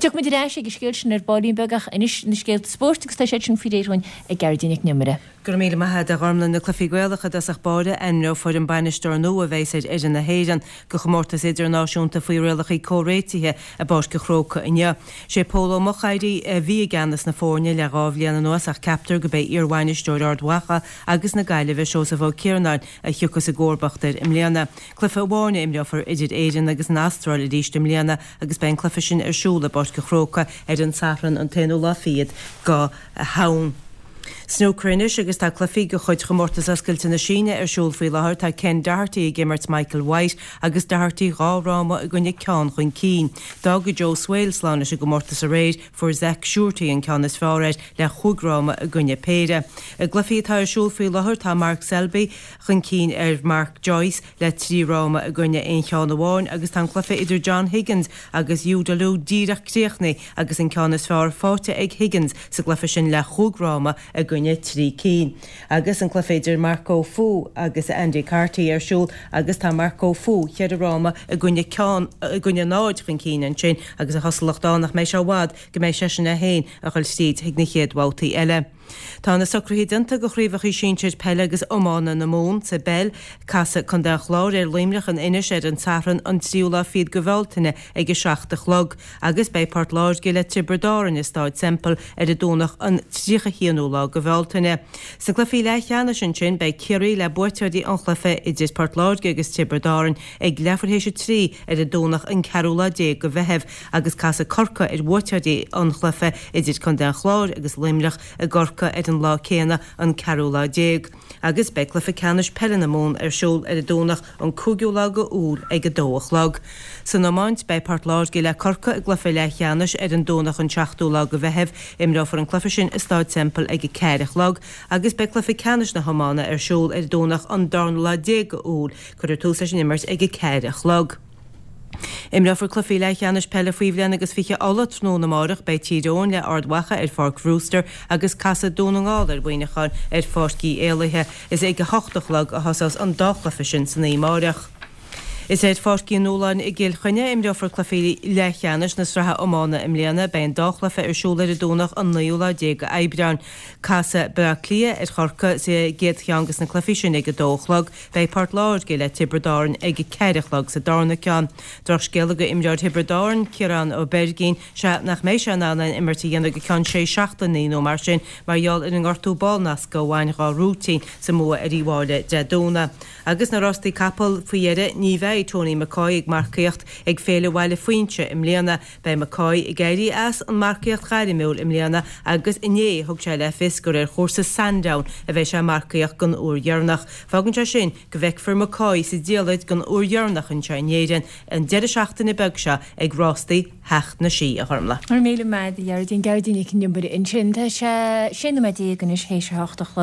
Tiocfaidh muid ar ais ag an scéal sin ar baillín beag ach anois na scéalta spóirt agus tá siad sin faoi réir dhúinn ag Gearóidín Nic an Iomaire. Go raibh míle maith agat a Ghormlaith. Na cluichí Gaelacha i dtosach báire, ainmneofar an bainisteoir nua a bheas ar fhoireann na hÉireann do chomórtas idirnáisiúnta faoi rialacha comhréitithe i bPáirc an Chrócaigh inniu. Sé Pól Ó Mocháirí a bhí i gceannas na foirne le 2 bhliain anuas ach ceaptar gurb é iarbhainisteoir Ard Mhacha agus na Gaillimhe Seosamh Ó Ciarnáin a thiocfas i gcomharbacht air i mbliana. Cluiche amháin a imreofar idir Éirinn agus an Astráil arís i mbliana agus beidh an cluiche sin ar siúl i bPáirc an Chrócaigh ar an Satharn an t-aonú lá fichead go Shamhain. Snúcar anois agus tá cluichí de chuid Chomórtas Oscailte na Síne ar siúl faoi láthair. Tá Ken Doherty ag imirt Michael White agus Doherty 2 fhráma i gcoinne ceann chun cinn. D'fhág Joe Swail slán leis an gcomórtas aréir, fuair Zak Surety an ceann is fearr air le chúig fhráma i gcoinne péire. I gcluichí atá ar siúl faoi láthair tá Mark Selby chun cinn ar Mark Joyce le 3 fhráma i gcoinne aon cheann amháin agus tá an cluiche idir John Higgins agus Yu Delu díreach críochnaithe agus an ceann is fearr faighte ag Higgins sa gcluiche sin le chúig fhráma i gcoinne 3 cinn. Agus an cluiche idir Marco Fu agus Andy Carty ar siúl agus tá Marco Fu cheithre fhráma i gcoinne ceann i gcoinne 0 chun cinn ansin agus an chosúlacht ann nach mbeidh sé i bhfad go mbeidh seisean é féin a dhul tríd chuig na chéad bhabhtaí eile. Tá na socruithe déanta do chraobhacha sinsir peile agus iomána na Mumhan sa bpeil. Casfaidh Contae an Chláir ar Luimneach in Inis ar an Satharn an tríú lá fichead go Bhealtaine ag 7 a chlog agus beidh Port Láirge le Tiobraid Árann i Stáid Semple ar an Domhnach an 31ú lá go Bhealtaine. Sna cluichí leathcheannais ansin beidh Ciarraí le buaiteoirí an chluiche idir Port Láirge agus Tiobraid Árann ag leathuair théis a 3 ar an Domhnach an ceathrú lá déag go Mheitheamh agus casfaidh Corcaigh ar bhuaiteoirí an chluiche idir Contae an Chláir agus Luimneach i gCorcaigh ar an lá céanna, an ceathrú lá déag. Agus beidh cluiche ceannais peile na Mumhan ar siúl ar an Domhnach an cúigiú lá go Iúil ag 2 a chlog. San iomáint, beidh Port Láirge le Corcaigh i gcluiche leathcheannais ar an Domhnach an seachtú lá go Mheitheamh. Imreofar an cluiche sin i Stáid Semple ag 4 a chlog agus beidh cluiche ceannais na hiomána ar siúl ar an Domhnach an darna lá déag go Iúil. Cuirfear tús leis an imirt ag 4 a chlog. Imreofar cluichí leathcheannais peile faoi bhliain agus 20 Uladh tráthnóna amárach. Beidh Tír Eoghain le Ard Mhacha ar Pháirc Bhrewster agus casfaidh Dún na nGall ar Mhuineachán ar Pháirc Uí Éallaithe. Is ag 8 a chlog a thosós an dá chluiche sin san oíche amárach. Is ar Pháirc Uí Nualláin i gCill Chainnigh a imreofar cluichí leathcheannais na sraithe iomána i mbliana. Beidh an dá chluiche ar siúl ar an Domhnach an naoú lá déag d'Aibreán. Casfaidh Baile Átha Cliath ar Chorcaigh sa gcéad cheann de na cluichí sin ag 2 a chlog. Beidh Port Láirge le Tiobraid Árann ag a 4 a chlog sa darna ceann. Drochscéala go imreoir Thiobraid Árann, Ciarán Ó Beirgín, sea nach mbeidh sé in ann aon imirt a dhéanamh go ceann sé seachtainí nó mar sin mar gheall ar an ngortú ballnasctha a bhain dhá rúitín sa mbua ar Uíbh Fhailí Dé Domhnaigh. Agus na rástaí capall faoi dheireadh, ní bheidh Tony McCoy ag marcaíocht ag Féile Bhaile Phuinse i mbliana. Beidh McCoy ag éirí as an marcaíocht ghairmiúil i mbliana agus inné thug sé le fios gur ar chúrsa Sandown a bheidh sé ag marcaíocht don uair dheireanach. Fágann sé sin go bhfeicfear McCoy sa diallait don uair dheireanach anseo in Éirinn an deireadh seachtaine beag seo ag rástaí Theach na Sí, a Ghormlaith. Go raibh míle maith agat, a Ghearóidín. Gearóidín Nic an Iomaire ansin. Tá sé 16 nóiméad anois théis a hocht a chlog.